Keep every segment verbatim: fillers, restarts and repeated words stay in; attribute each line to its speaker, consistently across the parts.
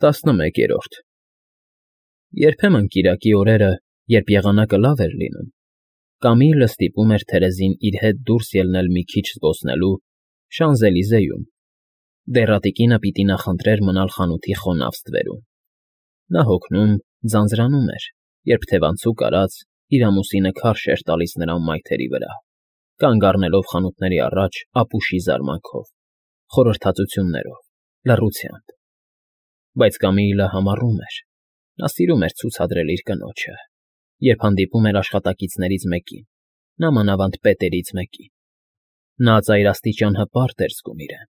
Speaker 1: Տասնմեկերորդ Երբեմն կիրակի օրերը, երբ եղանակը լավ էր լինում, Կամիլը ստիպում էր Թերեզին իր հետ դուրս ելնել մի քիչ զբոսնելու Շանզելիզեում, դեռատիկինը պիտի նախընտրեր մնալ խանութի խոնավ ստվերում. նա հոգնում, ձանձրանում էր, երբ թևանցուկ արած, իր ամուսինը քարշ էր տալիս նրան մայթերի վրա, կանգ առնելով խանութների առաջ ապուշի զարմանքով, խորհրդածություններով, լռությամբ, բայց Կամիլը համառում էր, նա սիրում էր ցուցադրել իր կնոջը, երբ հանդիպում էր աշխատակիցներից մեկին, նամանավանդ պետերից մեկին, նա ծայրաստիճան հպարտ էր զգում իրեն,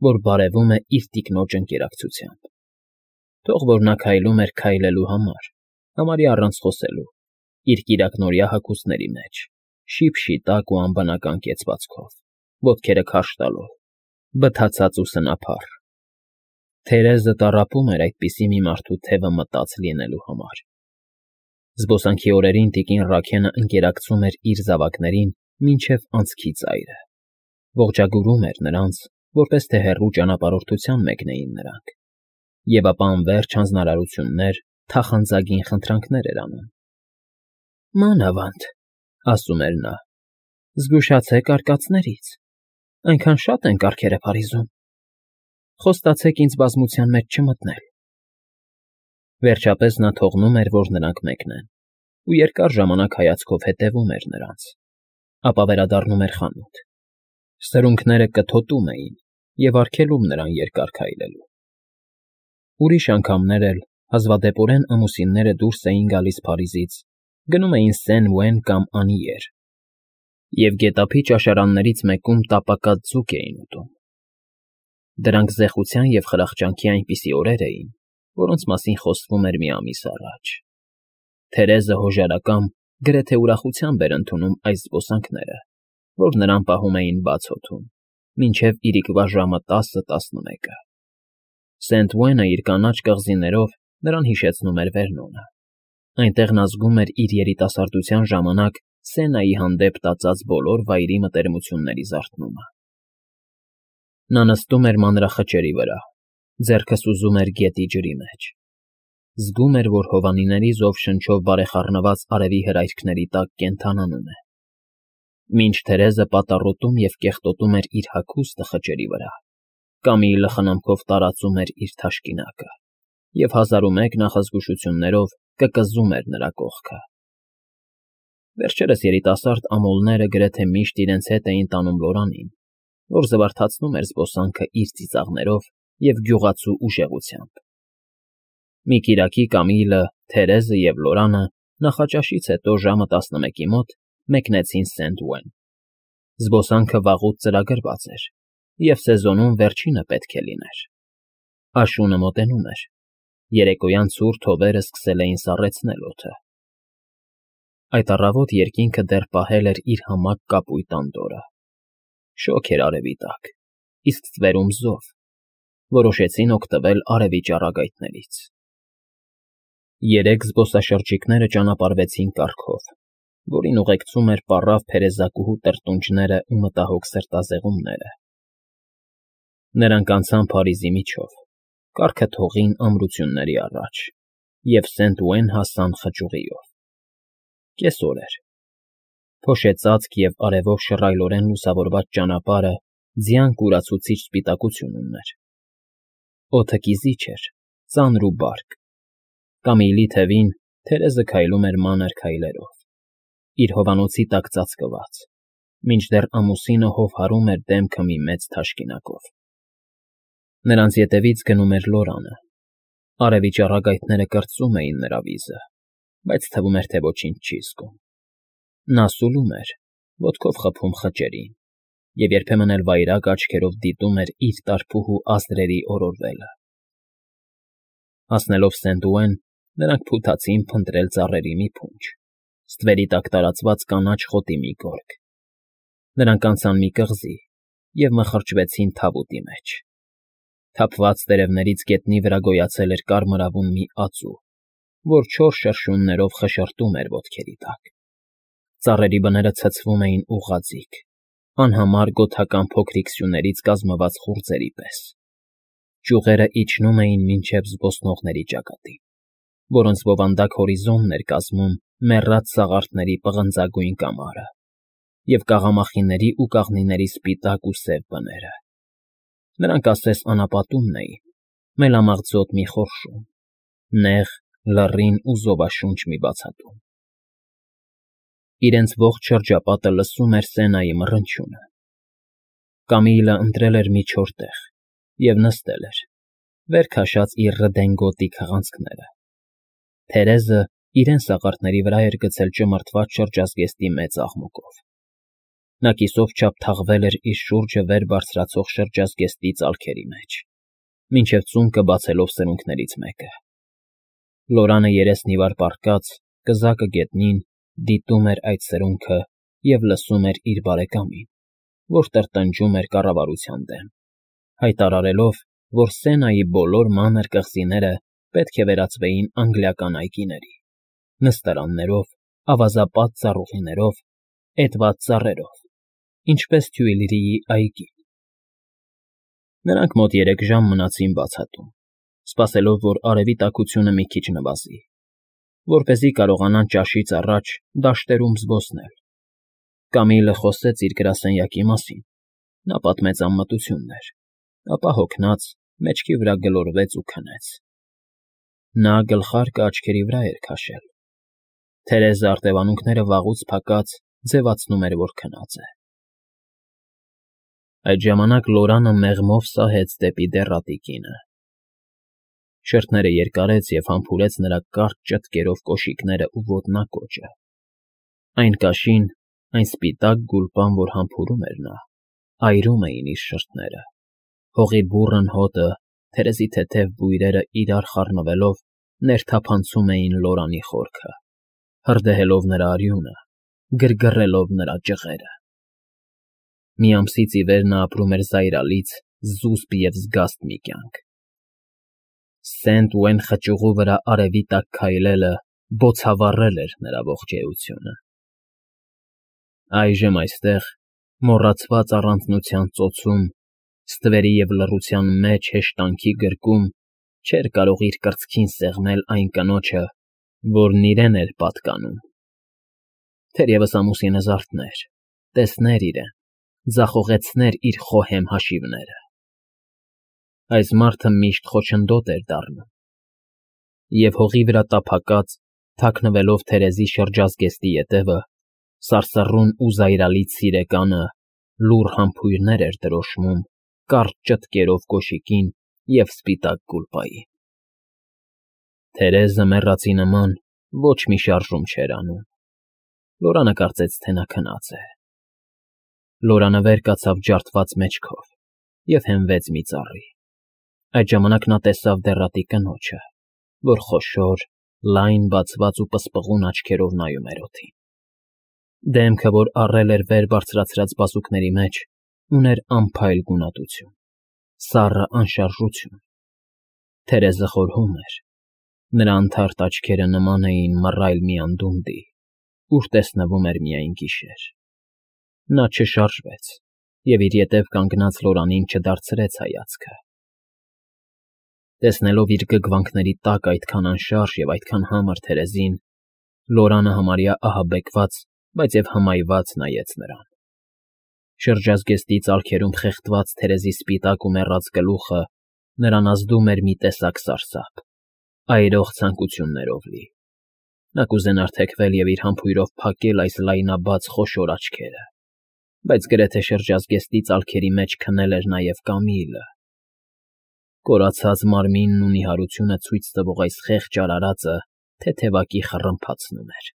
Speaker 1: որ բարևում է իր տիկնոջ ընկերակցությամբ, թող որ նա քայլում էր քայլելու համար, համարյա առանց խոսելու, իր կիրակնօրյա հագուստների մեջ, շիփ֊շիտակ ու անբնական կեցվածքով, ոտքերը քարշ տալով, բթացած ու սնափառ. Թերեզը տառապում էր այդպիսի մի մարդու թևը մտած լինելու համար. Զբոսանքի օրերին տիկին Ռաքենը ընկերակցում էր իր զավակներին մինչև անցքի ծայրը, ողջագուրում էր նրանց, որպես թե հեռու ճանապարհորդության մեկնեին նրանք, և ապա անվերջ հանձնարարություններ, թախանձագին խնդրանքներ էր անում. «Մանավանդ,֊ ասում էր նա,֊ զգուշացեք արկածներից, այնքան շատ են կառքերը Փարիզում, խոստացեք ինձ բազմության մեջ չմտնել»։ Վերջապես նա թողնում էր, որ նրանք մեկնեն, ու երկար ժամանակ հայացքով հետևում էր նրանց, ապա վերադառնում էր խանութ, սրունքները կթոթում էին և արգելում նրան երկար քայլելու։ Ուրիշ անգամներ էլ, հազվադեպորեն ամուսինները դուրս էին գալիս Փարիզից, գնում էին Սեն֊Օuen կամ Անիեր և գետափի ճաշարաններից մեկում տապակած ձուկ էին ուտում։ Դրանք զեխության և խրախճանքի այնպիսի օրեր էին, որոնց մասին խոսվում էր մի ամիս առաջ։ Թերեզը հոժարակամ, գրեթե ուրախությամբ էր ընդունում այս զբոսանքները, որ նրան պահում էին բաց օդում, մինչև իրիկվա ժամը տասը֊տասնմեկը։ Սենտ֊Օուենը իր կանաչ կղզիներով նրան հիշեցնում էր Վերնոնը, այնտեղ նա զգում էր իր երիտասարդության ժամանակ Սենայի հանդեպ տածած բոլոր վայրի մտերմությունների զարթնումը։ Նա նստում էր մանրախճերի վրա, ձեռքը սուզում էր գետի ջրի մեջ, զգում էր, որ հովանիների զով շնչով բարեխառնված արևի հրայրքների տակ կենդանանում է, մինչ Թերեզը պատառոտում և կեղտոտում էր իր հագուստը խճերի վրա, Կամիլը խնամքով տարածում էր իր թաշկինակը և հազարումեկ նախազգուշություններով կկզում էր նրա կողքը։ Վերջերս երիտասարդ ամոլները գրեթե միշտ իրենց հետ էին տանում Լորանին, որ զվարթացնում էր զբոսանքը իր ծիծաղներով և գյուղացու ուժեղությամբ։ Մի կիրակի Կամիլը, Թերեզը և Լորանը նախաճաշից հետո ժամը տասնմեկի մոտ մեկնեցին Սենտ֊Օuen։ Զբոսանքը վաղուց ծրագրված էր, և սեզոնում վերջինը պետք է լիներ։ Աշունը մոտենում էր, երեկոյան ցուրտ հովերը սկսել էին սառեցնել օդը։ Այդ առավոտ երկինքը դեռ պահել էր իր համակ կապույտ անդորրը։ Շոգ էր արևի տակ, իսկ ստվերում զով, որոշեցին օգտվել արևի ճառագայթներից։ Երեք զբոսաշրջիկները ճանապարհվեցին կառքով, որին ուղեկցում էր պառավ փերեզակուհու տրտունջները ու մտահոգ սրտազեղումները։ Նրանք անցան Փարիզի միջով, կառքը թողին ամրությունների առաջ և Սենտ֊Օuen հասան խճուղիով։ Կեսօր էր։ Փոշեծածկ և արևով շռայլորեն լուսավորված ճանապարհը ձյան կուրացուցիչ սպիտակություն ուներ։ Օդը կիզիչ էր, ծանր ու բարդ։ Կամիլի թևին Թերեզը քայլում էր մանր քայլերով, իր հովանոցի տակ ծածկված, մինչդեռ ամուսինը հով հարում էր դեմքը մի մեծ թաշկինակով։ Նրանց ետևից գնում էր Լորանը։ Արևի ճառագայթները կրծում էին նրա վիզը, բայց թվում էր, թե ոչինչ չի զգում։ Նա սուլում էր, ոտքով խփում խճերին, և երբեմն էլ վայրագ աչքերով դիտում էր իր տարփուհու ազդրերի օրորվելը։ Հասնելով Սենտ֊Օuen, նրանք փութացին փնտրել ծառերի մի փունջ, ստվերի տակ տարածված կանաչ խոտի մի գորգ։ Նրանք անցան մի կղզի և մխրճվեցին թավուտի մեջ։ Թափված տերևներից գետնի վրա գոյացել էր կարմրավուն մի ածու, որ չոր շրշյուններով խշշում էր ոտքերի տակ։ Ծառերի բները ցցվում էին ուղղաձիգ, անհամար գոթական փոքրիկ սյուներից կազմված խուրձերի պես։ Ճյուղերը իջնում էին մինչև զբոսնողների ճակատին, որոնց բովանդակ հորիզոնն էր կազմում մեռած սաղարթների պղնձագույն կամարը և կաղամախիների ու կաղնիների սպիտակ ու սև բները. նրանք ասես անապատումն էին, մելամաղձոտ մի խորշում, նեղ, լռին ու զովաշունչ մի բացատում։ Իրենց ողջ շրջապատը լսում էր Սենայի մռնչյունը։ Կամիլը ընտրել էր մի չոր տեղ և նստել էր, վեր քաշած իր ռդենգոտի քղանցքները։ Թերեզը իրեն սաղարթների վրա էր գցել ճմրթված շրջազգեստի մեծ աղմուկով։ Նա կիսով չափ թաղվել էր իր շուրջը վեր բարձրացող շրջազգեստի ծալքերի մեջ, մինչև ծունկը բացելով սրունքներից մեկը։ Լորանը երեսն ի վար պառկած, կզակը գետնին, դիտում էր այդ սրունքը և լսում էր իր բարեկամին, որ տրտնջում էր կառավարության դեմ, հայտարարելով, որ Սենայի բոլոր մանր կղզիները պետք է վերածվեին անգլիական այգիների՝ նստարաններով, ավազապատ ծառուղիներով, էդված ծառերով, ինչպես Թյուիլրիի այգին։ Նրանք մոտ երեք ժամ մնացին բացատում, սպասելով, որ արևի տաքությունը մի քիչ նվազի, որպեսզի կարողանան ճաշից առաջ դաշտերում զբոսնել։ Կամիլը խոսեց իր գրասենյակի մասին, նա պատմեց անմտություններ, ապա հոգնած մեջքի վրա գլորվեց ու քնեց։ Նա գլխարկը աչքերի վրա էր քաշել։ Թերեզը արտևանունքները վաղուց փակած ձևացնում էր, որ քնած է։ Այդ ժամանակ Լորանը մեղմով սահեց դեպի դեռատի կինը։ Շրթները երկարեց և համբուրեց նրա կարճ ճտկերով կոշիկները ու ոտնակոճը։ Այն կաշին, այն սպիտակ գուլպան, որ համբուրում էր նա, այրում էին իր շրթերը, հողի բուռն հոտը, թերեզի թեթև բույրերը իրար խառնվելով ներթափանցում էին Լորանի խորքը, հրդեհելով նրա արյունը, գրգռելով նրա ջղերը։ Մի ամսից ի վեր նա ապրում էր զայրալից, զուսպ և զգաստ մի կյանք։ Սենթ Ուեն խճուղու վրա արևի տակ քայլելը բոցավառել էր նրա ողջ էությունը։ Այժմ այստեղ, մոռացված առանձնության ծոցում, ստվերի և լռության մեջ հեշտանքի գրկում, չէր կարող իր կրծքին սեղմել այն կնոջը, որն իրեն էր պատկանում։ Թերևս ամուսինը զարթներ, տեսներ իրեն, ձախողեցներ իր խոհեմ հաշիվները։ Այս մարդը միշտ խոչընդոտ էր դառնում, և հողի վրա տափակած, թաքնվելով Թերեզի շրջազգեստի ետևը, սարսռուն ու զայրալից սիրեկանը լուռ համբույրներ էր դրոշմում կարճ ճտկերով կոշիկին և սպիտակ գուլպային։ Թերեզը մեռածի նման ոչ մի շարժում չէր անում։ Լորանը կարծեց, թե նա քնած է։ Լորանը վեր կացավ ջարդված մեջքով և հենվեց մի ծառի։ Այդ ժամանակ նա տեսավ դեռատի կնոջը, որ խոշոր, լայն բացված ու պսպղուն աչքերով նայում էր օդին։ Դեմքը, որ առել էր վեր բարձրացրած բազուկների մեջ, ուներ անփայլ գունատություն, սառը անշարժություն։ Թերեզը խորհում էր։ Նրա անթարթ աչքերը նման էին մռայլ մի անդունդի, ուր տեսնվում էր միայն գիշեր։ Նա չշարժվեց և իր ետև կանգնած Լորանին չդարձրեց հայացքը։ Տեսնելով իր գգվանքների տակ այդքան անշարժ և այդքան համր Թերեզին, Լորանը համարյա ահաբեկված, բայց և հմայված նայեց նրան։ Շրջազգեստի ծալքերում խեղդված Թերեզի սպիտակ ու մեռած գլուխը նրան ազդում էր մի տեսակ սարսափ, այրող ցանկություններով լի։ Նա կուզենար թեքվել և իր համբույրով փակել այս լայնաբաց խոշոր աչքերը, բայց գրեթե շրջազգեստի ծալքերի մեջ քնել էր նաև Կամիլը։ Կորացած մարմինն ու նիհարությունը ցույց տվող այս խեղճ արարածը թեթևակի խռմփացնում էր։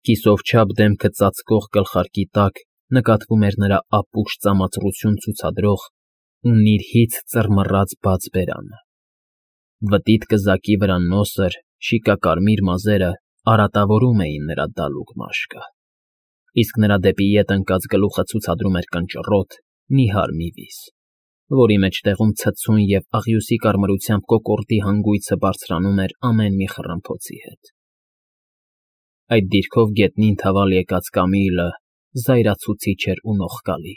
Speaker 1: Կիսով չափ դեմքը ծածկող գլխարկի տակ նկատվում էր նրա ապուշ ծամածռություն ցուցադրող ու նիրհից ծռմռած բաց բերանը։ Վտիտ կզակի վրա նոսր, շիկակարմիր մազերը արատավորում էին նրա դալուկ մաշկը, իսկ նրա դեպի ետ ընկած գլուխը ցուցադրում էր կնճռոտ, նիհար մի վիզ, որի մեջտեղում ցցուն և աղյուսի կարմրությամբ կոկորդի հանգույցը բարձրանում էր ամեն մի խռմփոցի հետ։ Այդ դիրքով գետնին թավալ եկած Կամիլը զայրացուցիչ էր ու նողկալի։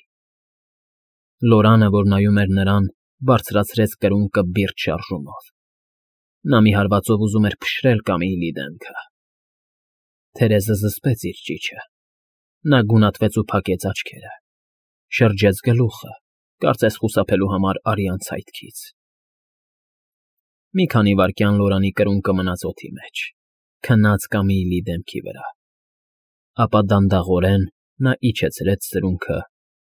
Speaker 1: Լորանը, որ նայում էր նրան, Բարձրացրեց կրունկը բիրտ շարժումով։ Նա մի հարվածով ուզում էր փշրել Կամիլի դեմքը։ Թերեզը զսպեց իր ճիչը։ Նա գունատվեց ու փակեց աչքերը, շրջեց գլուխը, կարծես խուսափելու համար արյան ցայտքից։ Մի քանի վայրկյան Լորանի կրունկը մնաց օդի մեջ, քնած Կամիլի դեմքի վրա, ապա դանդաղորեն նա իջեցրեց սրունքը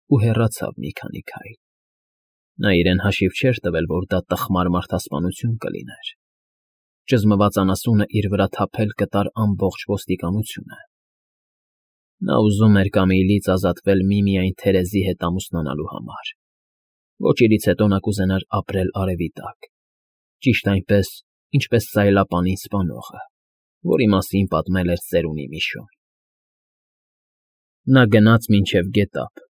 Speaker 1: ու հեռացավ մի քանի քայլ։ Նա իրեն հաշիվ չէր տվել, որ դա տխմար մարդասպանություն կլիներ։ Ճզմված անասունը իր վրա թափել կտար ամբողջ ոստիկանությունը։ Նա ուզում էր Կամիլից ազատվել միմիայն Թերեզի հետ ամուսնանալու համար։ Ոչ իրից հետո նա կուզենար ապրել արևի տակ, ճիշտ այնպես, ինչպես սայլապանին սպանողը, որի մասին պատմել էր ծերունի Միշոն։ Նա գնաց մինչև գետափ,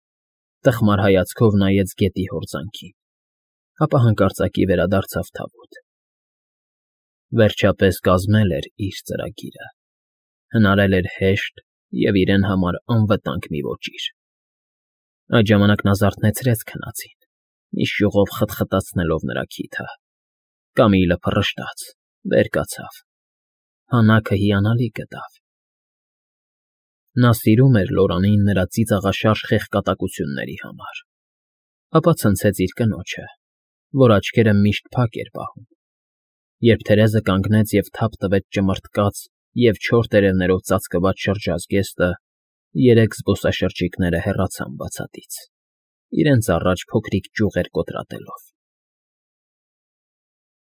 Speaker 1: տխմար հայացքով նայեց գետի հորձանքին, ապա հանկարծակի վերադարձավ թավոտ։ Վերջապես կազմել էր իր ծրագիրը, հնարել էր հեշտ և իրեն համար անվտանգ մի ոճիր։ Այդ ժամանակ նա զարթնեցրեց քնածին, մի շյուղով խտխտացնելով նրա քիթը։ Կամիլը փռշտաց, վեր կացավ, հանակը հիանալի գտավ։ Նա սիրում էր Լորանին նրա ծիծաղաշարժ խեղկատակությունների համար, ապա ցնցեց իր կնոջը, որ աչքերը միշտ փակ էր պահում։ Երբ Թերեզը կանգնեց և թափ տվեց ճմռթկած և չոր տերևներով ծածկված շրջազգեստը, երեք զբոսաշրջիկները հեռացան բացատից, իրենց առաջ փոքրիկ ճյուղեր կոտրատելով։